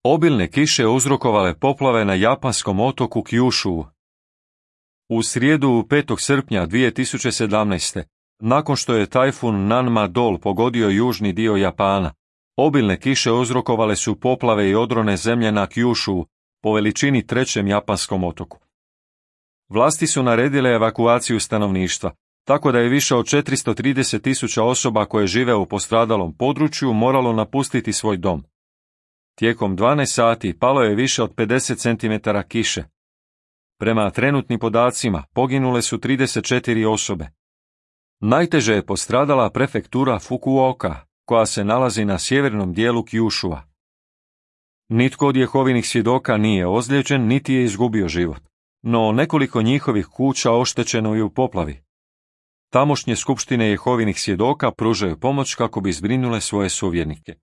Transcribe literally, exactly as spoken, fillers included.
Obilne kiše uzrokovale poplave na japanskom otoku Kyushu. U srijedu petog srpnja dvije tisuće sedamnaeste. nakon što je tajfun Nanmadol pogodio južni dio Japana, obilne kiše uzrokovale su poplave i odrone zemlje na Kyushu, po veličini trećem japanskom otoku. Vlasti su naredile evakuaciju stanovništva, tako da je više od četiristo trideset tisuća osoba koje žive u postradalom području moralo napustiti svoj dom. Tijekom dvanaest sati palo je više od pedeset centimetara kiše. Prema trenutnim podacima poginule su trideset četiri osobe. Najteže je postradala prefektura Fukuoka, koja se nalazi na sjevernom dijelu Kyushua. Nitko od Jehovinih svjedoka nije ozlijeđen niti je izgubio život, no nekoliko njihovih kuća oštećeno je u poplavi. Tamošnje skupštine Jehovinih svjedoka pružaju pomoć kako bi zbrinule svoje suvjernike.